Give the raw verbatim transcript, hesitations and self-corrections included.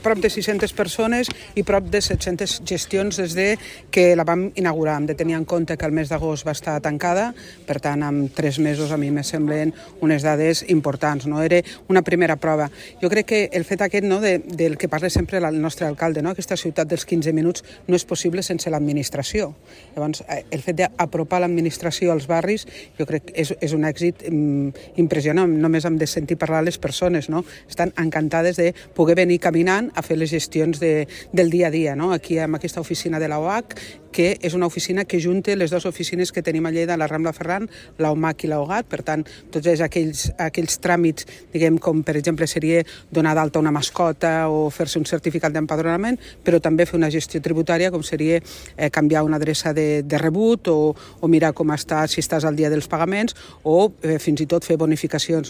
prop de sis-centes persones i prop de set-centes gestions des de que la vam inaugurar. Hem de tenir en compte que el mes d'agost va estar tancada, per tant, en tres mesos a mi me semblen unes dades importants. No? Era una primera prova. Jo crec que el fet aquest, no, de, del que parla sempre el nostre alcalde, no? Aquesta ciutat dels quinze minuts no és possible sense l'administració. Llavors, el fet d'apropar l'administració als barris jo crec que és, és un èxit mm, impressionant. Només hem de sentir parlar les persones, no? Estan encantades de poder venir caminant a fer les gestions de, del dia a dia. No? Aquí amb aquesta oficina de la O H, que és una oficina que junta les dues oficines que tenim a Lleida, la Rambla Ferran, la O M A C i la O G A T, per tant, tots aquells, aquells tràmits, diguem, com per exemple seria donar d'alta una mascota o fer-se un certificat d'empadronament, però també fer una gestió tributària, com seria eh, canviar una adreça de, de rebut o, o mirar com està, si estàs al dia dels pagaments, o eh, fins i tot fer bonificacions